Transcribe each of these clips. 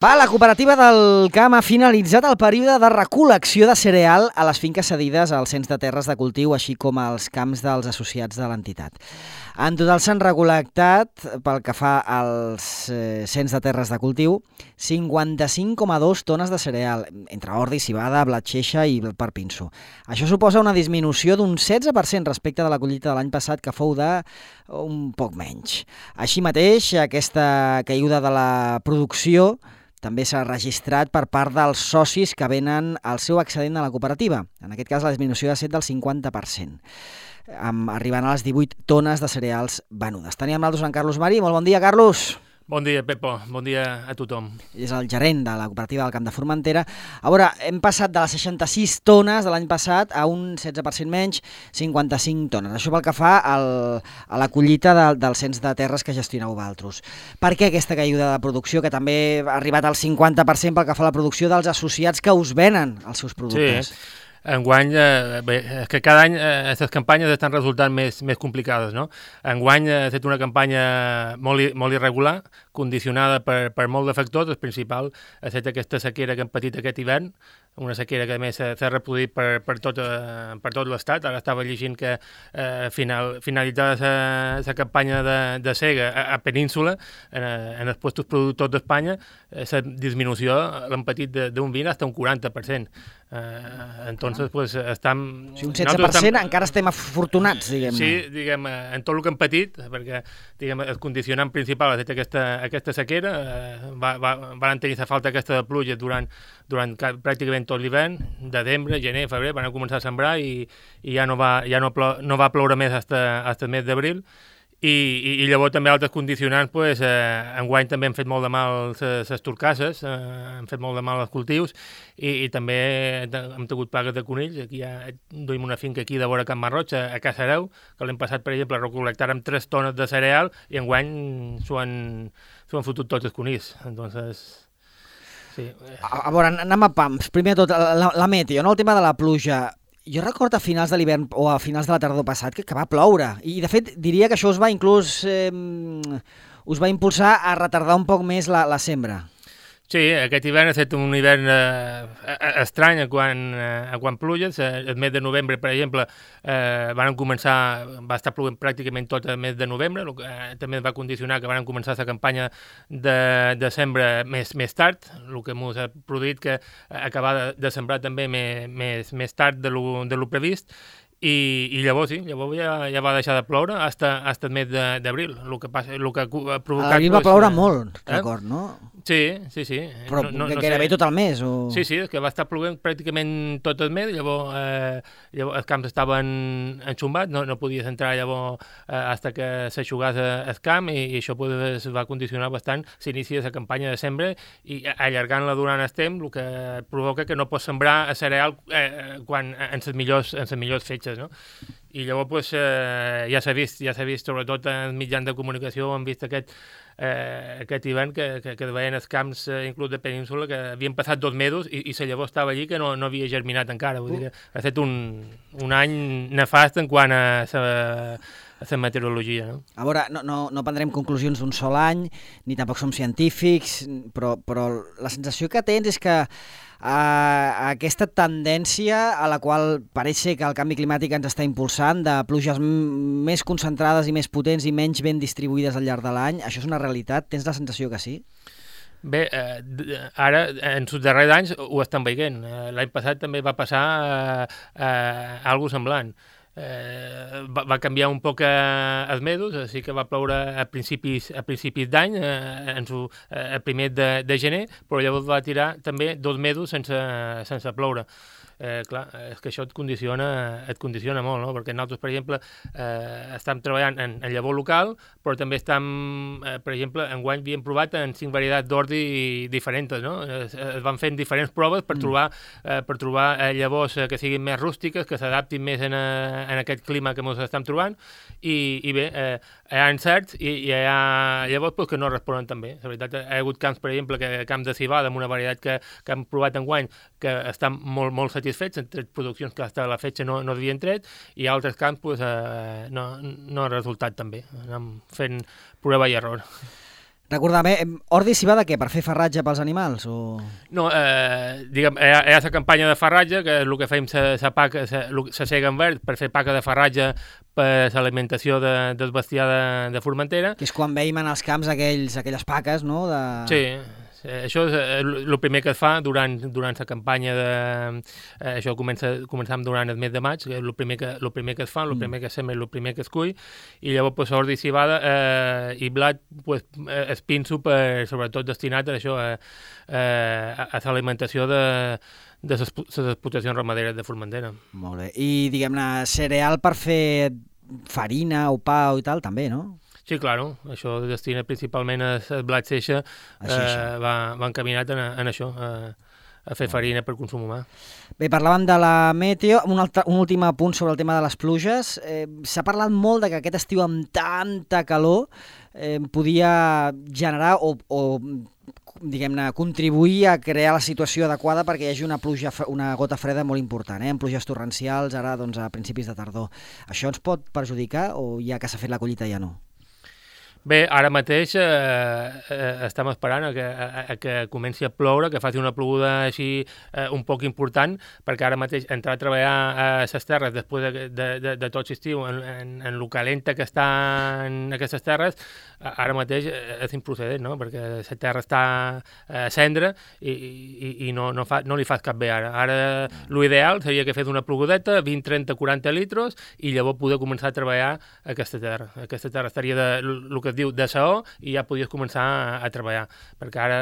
La cooperativa del Camp ha finalitzat el període de recol·lecció de cereal a les finques cedides al Cens de Terres de Cultiu, així com als camps dels associats de l'entitat. En total s'han recol·lectat, pel que fa als Cens de Terres de Cultiu, 55,2 tones de cereal, entre ordi, civada, blat xeixa i per pinso. Això suposa una disminució d'un 16% respecte de la collita de l'any passat, que fou d'un poc menys. Així mateix, aquesta caiguda de la producció també s'ha registrat per part dels socis que venen el seu excedent a la cooperativa. En aquest cas, la disminució ha estat del 50%, arribant a les 18 tones de cereals venudes. Teníem nosaltres en Carlos Marí. Molt bon dia, Carlos. Bon dia, Pepo. Bon dia a tothom. És el gerent de la cooperativa del Camp de Formentera. A veure, hem passat de les 66 tones de l'any passat a un 16% menys, 55 tones. Això pel que fa a la collita del Cens de Terres que gestioneu vosaltres. Per què aquesta caiguda de producció, que també ha arribat al 50% pel que fa a la producció dels associats que us venen els seus productes? Sí. Enguany, bé, és que cada any les campanyes estan resultant més complicades, no? Enguany ha estat una campanya molt irregular, condicionada per molt de factors. El principal ha estat aquesta sequera que hem patit aquest hivern, una sequera que a més s'ha reproduït per tot l'estat. Ara estava llegint que finalitzada la campanya de sega a Península, en els puestos productors d'Espanya, la disminució l'han patit d'un 20 fins a un 40%. Entonces, pues, estem... Si un 16% encara estem afortunats, diguem-ne. Sí, diguem, en tot el que hem patit, perquè diguem, el condicionant principal ha estat aquesta sequera. Van tenir la falta aquesta de pluja durant pràcticament tot l'hivern, desembre, gener, febrer, van començar a sembrar i ja no va ploure més fins el mes d'abril. I llavors també altres condicionants, pues, enguany també han fet molt de mal les turcasses, han fet molt de mal els cultius i també hem tingut plagues de conills. Aquí ja duim una finca aquí de vora Can Marroig, a Casareu, que l'hem passat, per exemple, a recol·lectar-hi 3 tones de cereal i enguany s'ho han fotut tots els conills. Entonces... Sí. A veure, anem a pams. Primer de tot, la meteo, no? El tema de la pluja. Jo recordo a finals de l'hivern o a finals de la tardor passat que va ploure i de fet diria que això us va impulsar a retardar un poc més la sembra. Sí, aquest hivern ha estat un hivern estrany quan pluges. El mes de novembre, per exemple, va estar plovent pràcticament tot el mes de novembre, el que també va condicionar que van començar la campanya de sembra més tard, el que ens ha produït que acabar de sembrar també més tard de lo previst. I llavors ja va deixar de ploure fins el mes d'abril. El que ha provocat... Abril va ploure molt, record, no? Sí. Però gairebé tot el mes? O... Sí, és que va estar plovent pràcticament tot el mes, llavors els camps estaven enxumbats, no podies entrar llavors fins que s'aixugàs el camp i això pues, va condicionar bastant l'inici de la campanya de sembra i allargant-la durant el temps, el que provoca que no pots sembrar el cereal en les millors fetges, no? I llavors pues, ja s'ha vist, sobretot en mitjans de comunicació, hem vist aquest hivern que veien els camps, inclús de Península, que havien passat 2 mesos i la llavor estava allí que no havia germinat encara. Vull dir que ha estat un any nefast en quant a la meteorologia. No? A veure, no prendrem conclusions d'un sol any, ni tampoc som científics, però la sensació que tens és que aquesta tendència a la qual pareix ser que el canvi climàtic ens està impulsant, de pluges més concentrades i més potents i menys ben distribuïdes al llarg de l'any, això és una realitat? Tens la sensació que sí? Bé, ara, en els darrers anys ho estan veient. L'any passat també va passar alguna semblant. Va canviar un poc els mesos, sí que va ploure a principis d'any, el primer de gener, però llavors va tirar també 2 mesos sense ploure. Clar, és que això et condiciona molt, no? Perquè nosaltres, per exemple, estem treballant en llavor local, però també estem, per exemple, enguany havíem provat en 5 varietats d'ordi diferents, no? Es van fent diferents proves per trobar llavors que siguin més rústiques, que s'adaptin més en aquest clima que ens estem trobant, i bé, hi ha encerts i hi ha llavors que no responen tan bé. La veritat, hi ha hagut camps, per exemple, camps de civada, amb una varietat que hem provat enguany, que estan molt satisfets, entre produccions que hasta la fetge no havien tret, i altres camps no ha resultat tan bé. Anem fent prova i error. Recorda'm, ordi s'hi va de què? Per fer farratge pels animals? O... No, diguem, hi ha la campanya de farratge, que és el que fem la cega en verd per fer paca de farratge per l'alimentació del bestiar de Formentera. Que és quan veiem en els camps aquelles paques, no? Sí, això és el primer que es fa durant la campanya això començam durant el mes de maig, que és el primer que es fa, el primer que sembra, el primer que es cull, i llavors pues, ordi i civada i blat pues, es pinso sobretot destinat a això, a l'alimentació de les explotacions ramaderes de Formentera. Molt bé. I, diguem-ne, cereal per fer farina o pa i tal, també, no? Sí, claro, això destina principalment el blat seixa, va encaminat en això, a fer farina per consum humà. Bé, parlàvem de la meteo, un últim apunt sobre el tema de les pluges. S'ha parlat molt de que aquest estiu amb tanta calor podia generar o diguem-ne, contribuir a crear la situació adequada perquè hi hagi una gota freda molt important, amb pluges torrencials ara doncs, a principis de tardor. Això ens pot perjudicar o ja que s'ha fet la collita ja no? Bé, ara mateix estem esperant a que comenci a ploure, que faci una ploguda així un poc important, perquè ara mateix entrar a treballar a les terres després de tot l'estiu, en el calenta que està en aquestes terres, ara mateix és improcedent, no? Perquè la terra està a cendra i no li fas cap bé ara. Ara l'ideal seria que fes una plogudeta, 20, 30, 40 litres, i llavors poder començar a treballar aquesta terra. Aquesta terra estaria el que es diu de saó i ja podies començar a treballar, perquè ara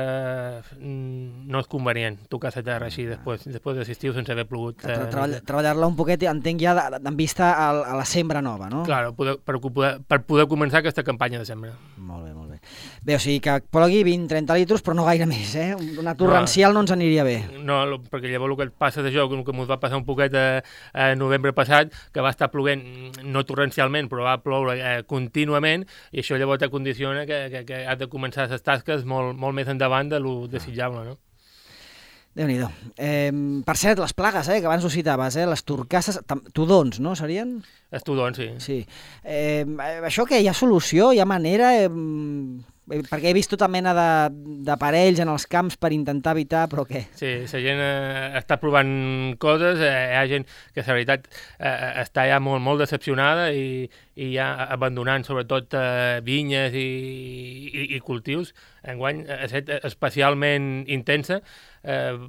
no és convenient tocar la terra així després de l'estiu sense haver plogut. Treballar-la un poquet, entenc ja, en vista a la sembra nova, no? Claro, per poder començar aquesta campanya de sembra. Molt bé, molt bé. Bé, o sigui que plogui 20-30 litres, però no gaire més, eh? Una torrencial no ens aniria bé. No, perquè llavors el que passa d'això, el que ens va passar un poquet a novembre passat, que va estar ploguent, no torrencialment, però va ploure contínuament, i això llavors te condiciona que has de començar les tasques molt més endavant de lo desitjable, no? Déu-n'hi-do. Per cert, les plagues, que abans ho citaves, les turcasses, tudons, no, serien? Els tudons, sí. Sí. Això que hi ha solució, hi ha manera... perquè he vist tota mena d'aparells en els camps per intentar evitar, però què? Sí, la gent està provant coses, hi ha gent que la veritat està ja molt decepcionada i ja abandonant sobretot vinyes i cultius. Enguany ha estat especialment intensa.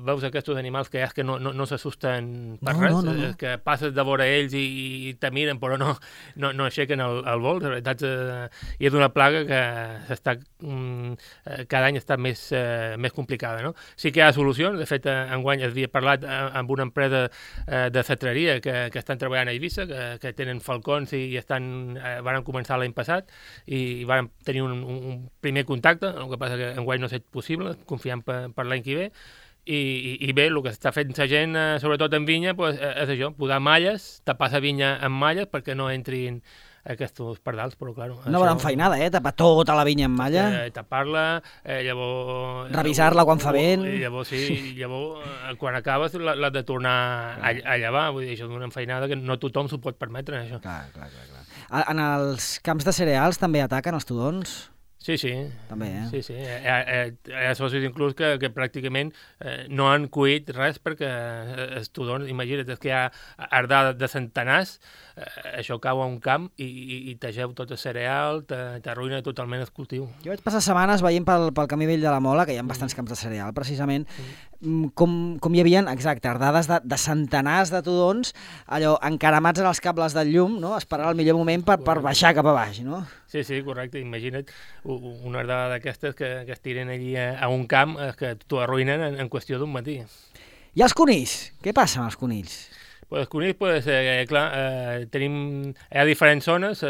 Veus aquests animals que no s'assusten per res, que passes de vora ells i te miren però no aixequen el vol. La veritat, i és una plaga que s'està cada any està més complicada, no? Sí que hi ha solucions. De fet, enguany havia parlat amb una empresa de cetreria que estan treballant a Eivissa, que tenen falcons i van començar l'any passat i van tenir un primer contacte. El que passa que enguany no ha estat possible, confiem per l'any que ve. I bé, el que està fent la gent, sobretot en vinya, és això, posar malles, tapar la vinya amb malles perquè no entrin aquests pardals, però clar... Una bona enfeinada, tapar tota la vinya amb malla. Tapar-la, llavors... Revisar-la quan fa vent. Llavors quan acabes l'has de tornar a llevar, vull dir, això és una enfeinada que no tothom s'ho pot permetre, això. Clar. En els camps de cereals també ataquen els tudons? Sí. També, Sí. Hi ha socis inclús que pràcticament no han cuit res perquè els tudons, imagina't, és que hi ha ardada de centenars, això cau a un camp i tegeu tot el cereal, t'arruïna totalment el cultiu. Jo vaig passar setmanes veient pel camí vell de la Mola, que hi ha bastants camps de cereal, precisament, com hi havia, exacte, ardades de centenars de tudons, allò, encaramats en els cables del llum, no? Esperant el millor moment per baixar cap a baix, no? Sí, correcte. Imagina't una ardada d'aquestes que es tiren allí a un camp que t'ho arruïnen en qüestió d'un matí. I els conills? Què passa amb els conills? Els conills, clar, hi ha diferents zones,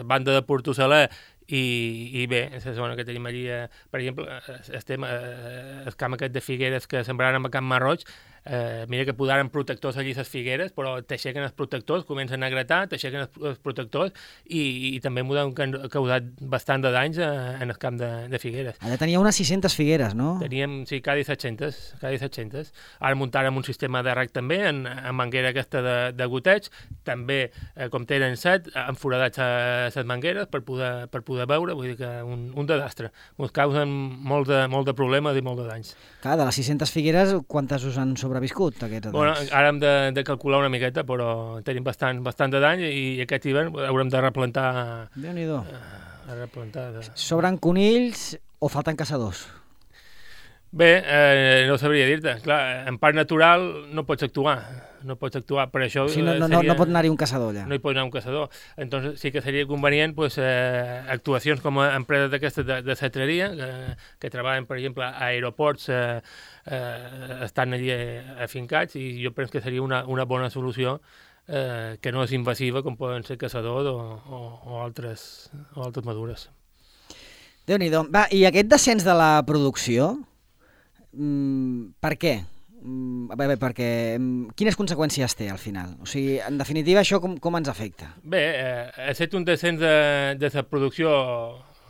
banda de Portosaler i bé, la zona que tenim allí, per exemple, el camp aquest de Figueres que sembraran amb Camp Marroig, mira que posaren protectors allí a les figueres, però t'aixequen els protectors, comencen a gratar, t'aixequen els protectors i també m'ho han causat bastant de danys en el camp de figueres. Allà tenia unes 600 figueres, no? Teníem, sí, cada 700. Ara muntàrem un sistema de rec també, en manguera aquesta de goteig, també, com tenen 7, han foradat les mangueres per poder veure, vull dir que un desastre. Ens causen molt de problemes i molt de danys. Clar, de les 600 figueres, quantes us han sobreviscut, aquests danys? Bueno, ara hem de calcular una miqueta, però tenim bastant de dany i aquest hivern haurem de replantar... Déu-n'hi-do. Replantar. Sobren conills o falten caçadors? Bé, no sabria dir-te. Clar, en parc natural no pots actuar. Per això... O sigui, no pot anar-hi un caçador allà. No hi pot anar un caçador. Entonces sí que seria convenient pues, actuacions com a empreses d'aquestes de cetreria, que treballen, per exemple, a aeroports, estan allí afincats, i jo penso que seria una bona solució que no és invasiva, com poden ser caçadors o altres mesures. Déu-n'hi-do. Va, i aquest descens de la producció, per què? Perquè quines conseqüències té al final? O sigui, en definitiva, això com ens afecta? Bé, ha estat un descens de la producció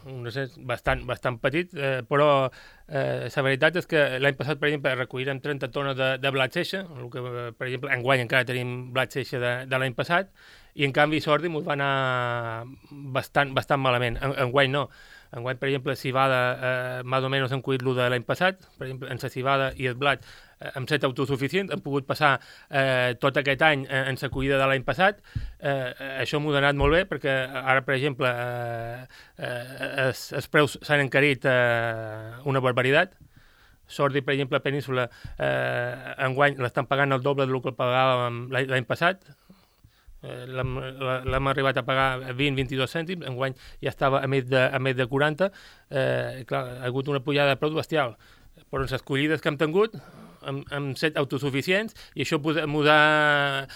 un descens bastant petit, però la veritat és que l'any passat, per exemple, recollirem 30 tones de blat seixa, el que, per exemple, enguany encara tenim blat seixa de l'any passat, i en canvi sordi ens va anar bastant malament. Enguany no. Enguany, per exemple, civada, més o menys hem collit el de l'any passat, per exemple, en la civada i el blat hem estat autosuficients, hem pogut passar tot aquest any en la collida de l'any passat. Això m'ho ha anat molt bé, perquè ara, per exemple, els preus s'han encarit una barbaritat. Sordi, per exemple, a Península, enguany l'estan pagant el doble del que pagàvem l'any passat. L'hem arribat a pagar 20-22 cèntims, enguany ja estava a més de 40. Clar, ha hagut una pujada de preus bestial, però en les collides que hem tingut hem set autosuficients, i això m'ho ha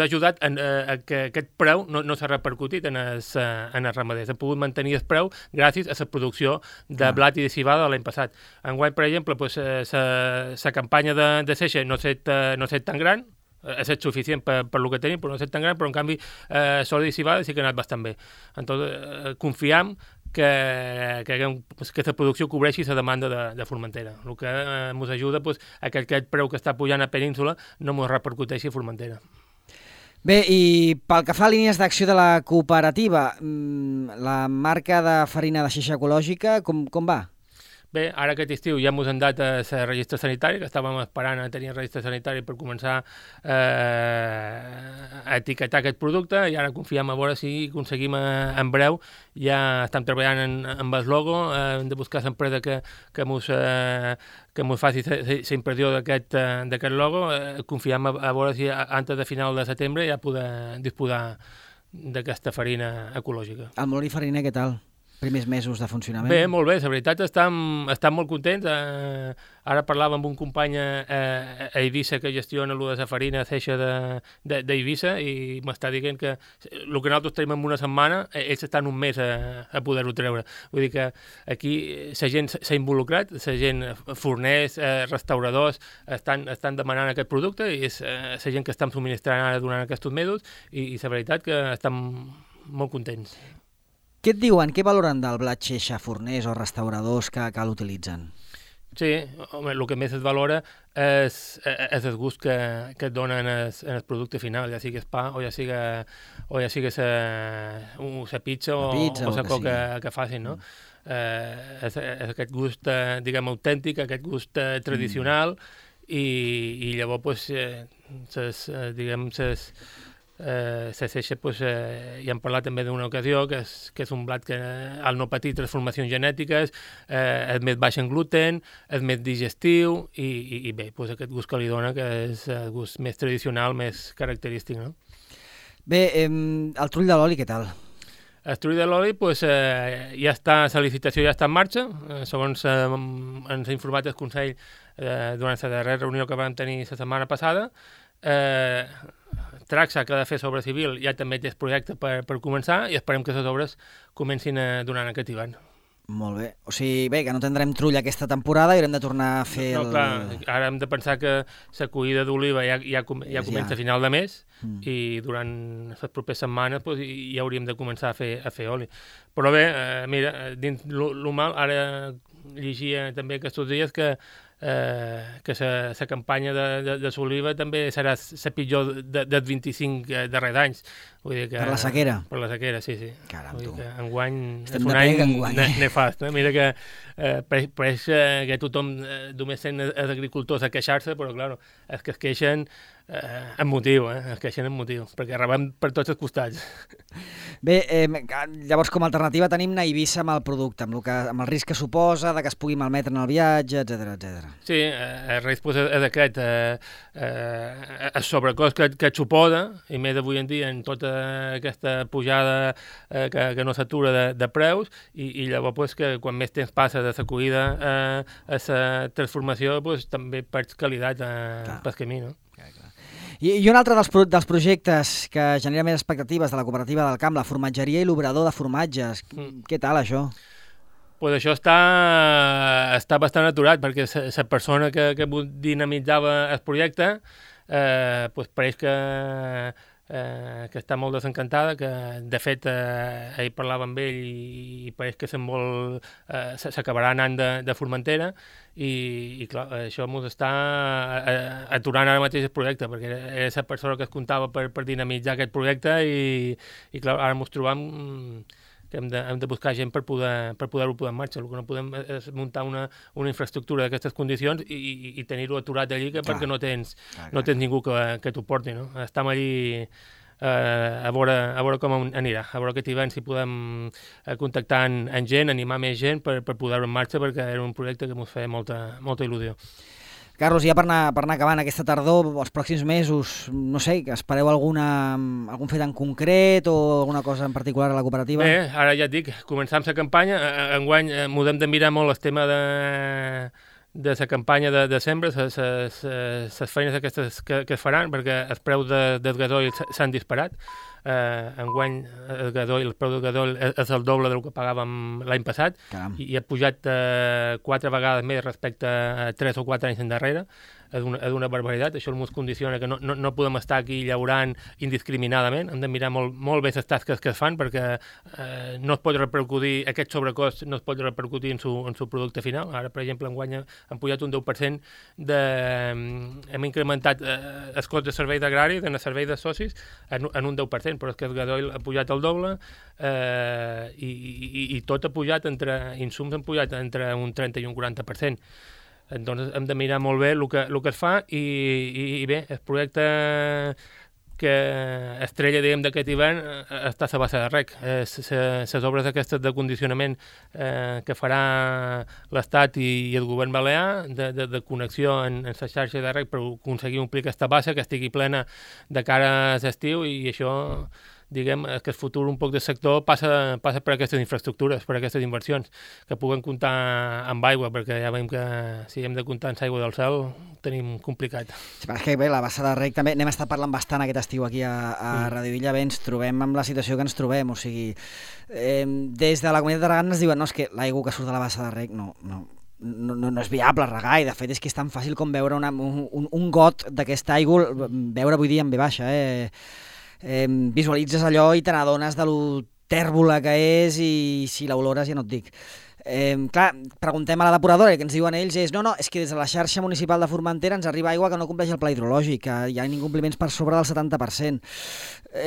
ajudat a que aquest preu no s'ha repercutit en els ramaders. Hem pogut mantenir el preu gràcies a la producció de blat i de civada de l'any passat. Enguany, per exemple, la campanya de seixa no ha set tan gran, ha estat suficient per el que tenim, però no ha estat tan gran, però en canvi sol i civada sí que ha anat bastant bé. Entonces, confiam que aquesta producció cobreixi la demanda de Formentera. El que ens ajuda a que aquest preu que està pujant a Península no ens repercuteixi a Formentera. Bé, i pel que fa a línies d'acció de la cooperativa, la marca de farina de xeixa ecològica, com va? Bé, ara aquest estiu ja ens han dat el registre sanitari, que estàvem esperant a tenir el registre sanitari per començar a etiquetar aquest producte, i ara confiem a veure si aconseguim en breu. Ja estem treballant amb el logo, hem de buscar l'empresa que ens faci la impressió d'aquest logo. Confiem a veure si antes de final de setembre ja poder disposar d'aquesta farina ecològica. El Molí Fariner, què tal? Primers mesos de funcionament? Bé, molt bé, la veritat estem molt contents. Ara parlava amb un company a Eivissa que gestiona de la farina seixa d'Eivissa, i m'està dient que el que nosaltres tenim en una setmana, ells estan un mes a poder-ho treure. Vull dir que aquí la gent s'ha involucrat, la gent, forners, restauradors, estan demanant aquest producte, i és la gent que estem subministrant ara durant aquests mesos, i la veritat que estem molt contents. Què et diuen? Què valoren del blat xeixa forners o restauradors que l'utilitzen? Sí, home, el que més es valora és el gust que et dona en el producte final, ja sigui el pa o ja sigui la pizza o la coca que facin, no? És aquest gust, diguem, autèntic, aquest gust tradicional, i llavors, diguem, la seixa, ja hem parlat també d'una ocasió, que és un blat que al no patir transformacions genètiques és més baix en gluten, és més digestiu, i bé, aquest gust que li dona, que és el gust més tradicional, més característic, no? Bé, el trull de l'oli, què tal? El trull de l'oli, ja està, la licitació ja està en marxa, segons ens ha informat el Consell durant la darrera reunió que vam tenir la setmana passada. Traxa, que ha de fer sobre civil, ja també té el projecte per començar, i esperem que les obres comencin durant aquest hivern. Molt bé. O sigui, bé, que no tindrem trull aquesta temporada i haurem de tornar a fer No, clar, ara hem de pensar que la collida d'oliva ja comença a final de mes i durant les properes setmanes pues, ja hauríem de començar a fer oli. Però bé, mira, dins lo mal, ara llegia també aquests dies que la campanya de l'oliva també serà la pitjor dels 25 darrers anys. Vull dir que, per la sequera? Per la sequera, sí. Caram, vull tu. dir que enguany estem és un any enguany. nefast. Mira que pareix que tothom només sent els agricultors a queixar-se, però clar, els que es queixen amb motiu, es queixen amb motiu, perquè rebem per tots els costats. Bé, llavors com a alternativa tenim anar a Eivissa amb el producte, amb el risc que suposa, de que es pugui malmetre en el viatge, etc. Sí, el risc és aquest, el sobrecost que et suposa, i més avui en dia en tota aquesta pujada que no s'atura de preus, i llavors pues, que quan més temps passa de la collida a la transformació, pues, també perds qualitat pel camí, no? Clar. I un altre dels projectes que genera més expectatives de la cooperativa del camp, la formatgeria i l'obrador de formatges. Què tal, això? Pues això està bastant aturat, perquè la persona que dinamitzava el projecte pues pareix que està molt desencantada, que de fet ahir parlava amb ell i pareix que s'acabarà anant de Formentera i clar, això ens està aturant ara mateix el projecte, perquè era la persona que es comptava per dinamitzar aquest projecte i clar, ara ens trobam que hem de buscar gent per poder-ho posar en marxa. El que no podem és muntar una infraestructura d'aquestes condicions i tenir-ho aturat allí perquè no tens ningú que t'ho porti. No? Estem allí a veure com anirà, a veure aquest hivern si podem contactar amb gent, animar més gent per poder-ho en marxa, perquè era un projecte que ens feia molta il·lusió. Carlos, ja per anar acabant aquesta tardor, els pròxims mesos, no sé, espereu algun fet en concret o alguna cosa en particular a la cooperativa? Bé, ara ja et dic, començam la campanya, enguany m'ho hem de mirar molt el tema de la campanya de sembra, les feines aquestes que es faran, perquè els preus del gasoil s'han disparat. Enguany el preu del gasoil és el doble del que pagàvem l'any passat. Caram. I ha pujat 4 vegades més respecte a 3 o 4 anys endarrere. És una barbaritat, això ens condiciona que no podem estar aquí llaurant indiscriminadament, hem de mirar molt bé les tasques que es fan, perquè no es pot repercutir, aquest sobrecost no es pot repercutir en su producte final. Ara, per exemple, enguany hem pujat un 10%, hem incrementat el cost de servei d'agrari, de servei de socis, en un 10%, però és que el gasoil ha pujat el doble i tot ha pujat, insums han pujat entre un 30 i un 40%. Doncs hem de mirar molt bé el que es fa i bé, el projecte que estrella, diguem, d'aquest hivern està a la bassa de rec. Les obres aquestes de condicionament que farà l'Estat i el govern balear de connexió en la xarxa de rec per aconseguir omplir aquesta bassa que estigui plena de cara a l'estiu, i això, diguem, que el futur un poc del sector passa per aquestes infraestructures, per aquestes inversions, que puguen comptar amb aigua, perquè ja veiem que si hem de comptar amb aigua del cel ho tenim complicat. Sí, però és que bé, la bassa de rec també, n'hem estat parlant bastant aquest estiu aquí a Radio Illa, bé, ens trobem amb la situació que ens trobem, o sigui, des de la Comunitat d'Aragó ens diuen, no, és que l'aigua que surt de la bassa de rec no és viable regar, i de fet és que és tan fàcil com veure un got d'aquesta aigua, veure avui dia en V baixa, visualitzes allò i te n'adones de lo tèrbola que és, i si l'olores ja no et dic. Clar, preguntem a la depuradora i el que ens diuen ells és és que des de la xarxa municipal de Formentera ens arriba aigua que no compleix el pla hidrològic, que hi ha incompliments per sobre del 70%.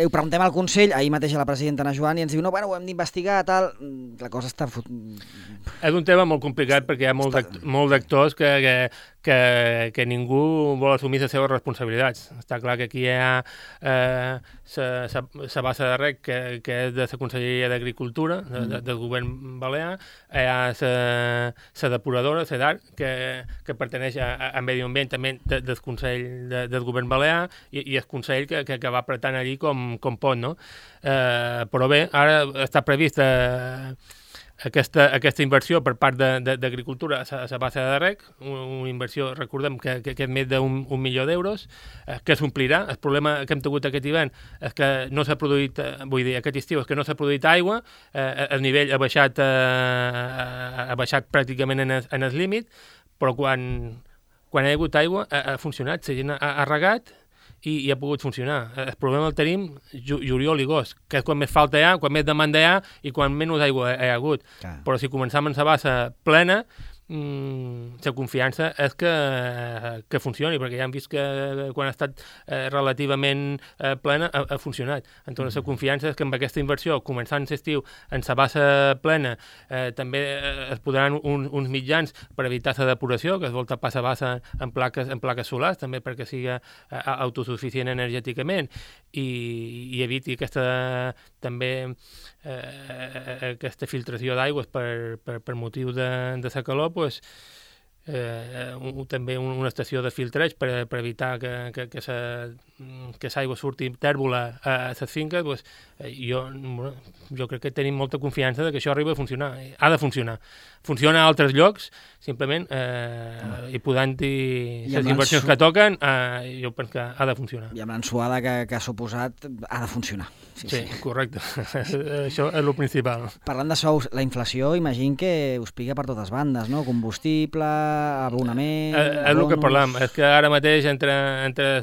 Ho preguntem al Consell, ahir mateix a la presidenta Ana Joan, i ens diu, no, ho hem d'investigar, tal. La cosa està... És un tema molt complicat perquè hi ha molts d'actors que ningú vol assumir les seves responsabilitats. Està clar que aquí hi ha la bassa de rec que és de la Conselleria d'Agricultura, del govern balear, hi ha la depuradora, la DAR, que parteix a Medi Ambient, també del Consell del govern balear, i el Consell que va apretant allí com pot, no? Però bé, ara està previst aquesta inversió per part d'Agricultura a la base de rec, una inversió, recordem, que és més d'un milió d'euros, que s'omplirà. El problema que hem tingut aquest hivern és que no s'ha produït, aquest estiu, és que no s'ha produït aigua, el nivell ha baixat pràcticament en el límit, però quan hi ha hagut aigua ha funcionat, la gent ha regat, i ha pogut funcionar. El problema el tenim juliol i agost, que és quan més falta hi ha, quan més demanda hi ha i quan menys aigua hi ha hagut. Però si començam amb la base plena, la confiança és que funcioni, perquè ja hem vist que quan ha estat relativament plena ha funcionat. Entonces, la confiança és que amb aquesta inversió, començant l'estiu en la base plena, també es podran uns mitjans per evitar la depuració, que es vol tapar la base en plaques solars, també perquè sigui autosuficient energèticament i eviti aquesta filtració d'aigües per motiu de la calor, també una estació de filtreig per evitar que l'aigua surti tèrbola a les finques. Jo crec que tenim molta confiança que això arriba a funcionar. Ha de funcionar. Funciona a altres llocs, simplement, i podent-hi les inversions que toquen, jo penso que ha de funcionar. I amb l'ensuada que ha suposat, ha de funcionar. Sí, correcte. Això és el principal. Parlant de sous, la inflació, imagino que us pica per totes bandes, no? Combustible, abonament... És el que parlam, és que ara mateix entre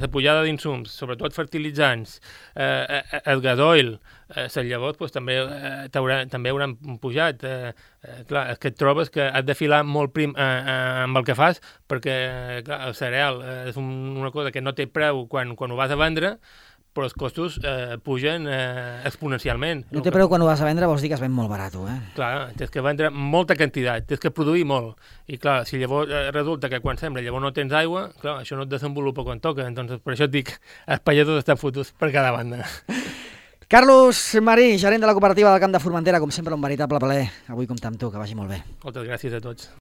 la pujada d'insums, sobretot fertilitzants, el gasoil, les llavors també hauran pujat. Clar, és que et trobes que has de filar molt prim amb el que fas, perquè clar, el cereal és una cosa que no té preu quan ho vas a vendre, però els costos pugen exponencialment. No té preu quan ho vas a vendre, vols dir que es ven molt barat, Clar, tens que vendre molta quantitat, tens que produir molt. I clar, si llavors resulta que quan sembra llavors no tens aigua, clar, això no et desenvolupa quan toca. Entonces, per això et dic, els pagesos estan fotuts per cada banda. Carlos Marí, gerent de la cooperativa del Camp de Formentera, com sempre un veritable plaer avui comptar amb tu, que vagi molt bé. Moltes gràcies a tots.